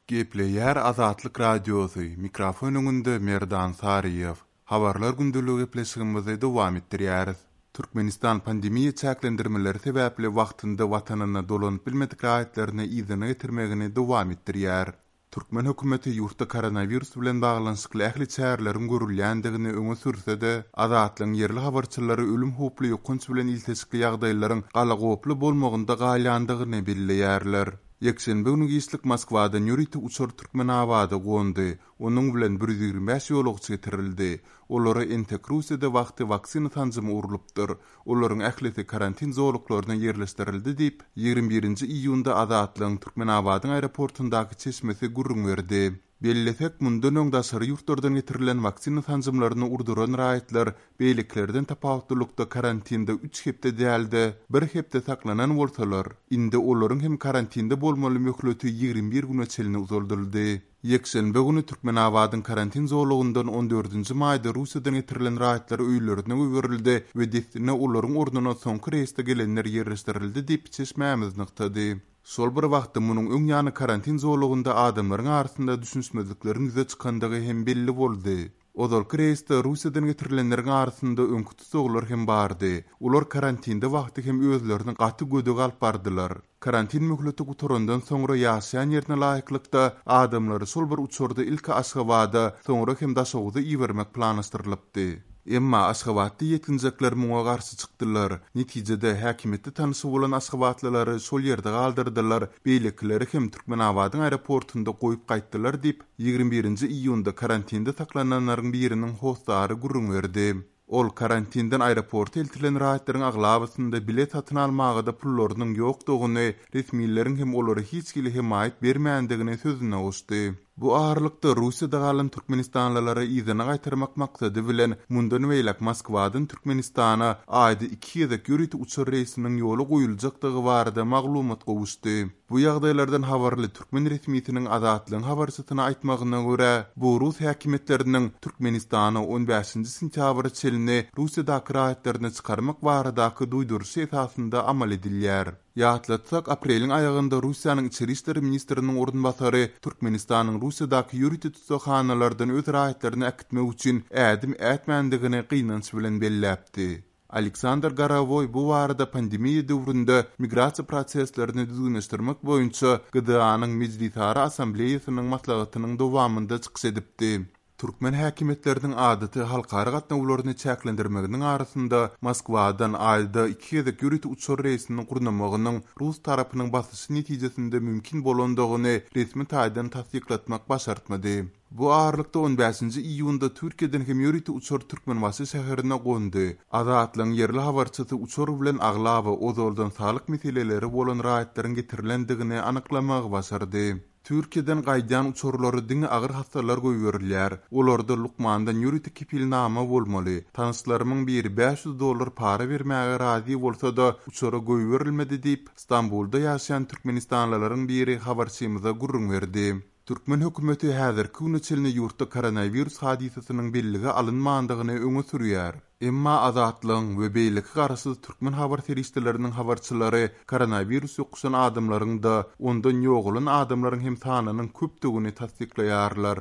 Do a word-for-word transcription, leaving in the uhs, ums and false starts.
Gepleýär Azatlyk Radiosy, mikrofon öňünde Merdan Saryýew. Habarlar gündeligi gepleşigimizi dowam etdirýäris. Türkmenistan pandemiýa çäklendirmeleri sebäpli wagtynda watanyna dolanyp bilmedik raýatlaryny yzyna getirmegini dowam etdirýär. Türkmen hökümeti ýurtda koronawirus bilen baglanyşykly ähli çäreleriň görülýändigini öňe sürse-de, Azatlygyň ýerli habarçylary ölüm howply ýokanç bilen ilteşikli ýagdaýlaryň galagoply bolmagynda galýandygyny belleýärler. Ýekşenbe güni giçlik Moskwadan ýörite uçar Türkmenabada gondy. Onuň bilen bir ýüz ýigrimi bäş ýolagçy getirildi. Olara entek Russiýada wagty waksina sanjymy urlupdyr. Olaryň ählisi karantin zolaklaryna ýerleşdirildi diýip, ýigrimi birinji iýunda Azatlygyň Türkmenabadyň aeroportundaky çeşmesi gürrüň berdi. Bellesek, mundan öň daşary ýurtlardan getirilen waksina sanjymlaryny urduran raýatlar beýlekilerden tapawutlylykda karantinde üç hepde däl-de, bir hepde saklanan bolsalar, indi olaryň hem karantinde bolmaly möhleti ýigrimi bir güne çenli uzaldyldy. Ýekşenbe güni Türkmenabadyň karantin zolagyndan on dördünji maýda Russiýadan getirilen raýatlar öýlerine goýberildi we dessine olaryň ornuna soňky reýsde gelenler ýerleşdirildi diýip, çeşmämiz nygtady. Şol bir wagtda munuň öň ýany karantin zolagynda adamlaryň arasynda düşünişmezlikleriň ýüze çykandygy hem belli boldy. Ozalky reýsde Russiýadan getirilenleriň arasynda öňki tussaglar hem bardy. Olar karantinde wagty hem özlerini gaty gödek alyp bardylar. Karantin möhleti gutarandan soňra ýaşaýan ýerine laýyklykda adamlary şol bir uçarda ilki Aşgabada, soňra hem Daşoguza ibermek planlaşdyrylypdy. Emma Aşgabatda ýetginjekler muňa garşy çykdylar. Netijede häkimiýetde tanyşy bolan aşgabatlylary şol ýerde galdyrdylar, beýlekileri hem Türkmenabadyň aeroportunda goýup gaýtdylar diýip, ýigrimi birinji iýunda karantinde saklananlaryň biriniň hossary gürrüň berdi. Ol karantinden aeroporta eltilen raýatlaryň aglabasynda bilet satyn almaga-da pullarynyň ýokdugyny, resmileriň hem olara hiç hili hemaýat bermändigini sözüne goşdy. Bu aralykda Russiýada galan türkmenistanlylary yzyna gaýtarmak maksady bilen mundan beýläk Moskwadan Türkmenistana aýda iki gezek ýörite uçar reýsiniň ýola goýuljakdygy barada maglumat gowuşdy. Bu ýagdaýlardan habarly türkmen resmisiniň Azatlygyň habarçysyna aýtmagyna görä, bu rus häkimiýetleriniň Türkmenistana on bäşinji sentýabra çenli Russiýadaky raýatlaryny çykarmak baradaky duýduryşy esasynda amal edilýär. Ýatlatsak, apreliň aýagynda Russiýanyň Içeri işler ministriniň orunbasary Türkmenistanyň Russiýadaky ýörite tutsaghanalardan öz raýatlaryny äkitmek üçin ädim ätmändigini gynanç bilen belläpdi. Aleksandr Gorowoý bu barada pandemiýa döwründe migrasiýa proseslerini düzgünleşdirmek boýunça G D A-nyň Mejlisara Assambleýasynyň maslahatynyň dowamynda çykyş edipdi. Türkmen häkimiýetleriniň adaty halkara gatnawlaryny çäklendirmeginiň arasynda Moskwadan aýda iki gezek ýörite uçar reýsini gurnamagynyň rus tarapynyň basyşy netijesinde mümkin bolandygyny resmi taýdan tassyklatmak başartmady. Bu aralykda on bäşinji iýunda Türkiýeden hem ýörite uçar Türkmenbaşy şäherine gondy. Azatlygyň ýerli habarçysy uçar bilen aglaba ozaldan saglyk meseleleri bolan raýatlaryň getirilendigini anyklamagy başardy. Türkiýeden gaýdýan uçarlary diňe agyr hassalar goýberilýär. Olarda lukmandan ýörite kepilnama bolmaly. Tanyşlarymyň biri bäş ýüz dollar para bermäge razy bolsa-da uçara goýberilmedi diýip, Stambulda ýaşaýan türkmenistanlylaryň biri habarçymyza gürrüň berdi. Türkmen hökümeti häzirki güne çenli ýurtda koronawirus hadysasynyň bellige alynmandygyny öňe sürýär. Emma Azatlygyň we beýleki garaşsyz türkmen habar serişdeleriniň habarçylary koronawirus ýokuşan adamlaryň-da, ondan ýogalan adamlaryň hem sanynyň köpdügini tassyklaýarlar.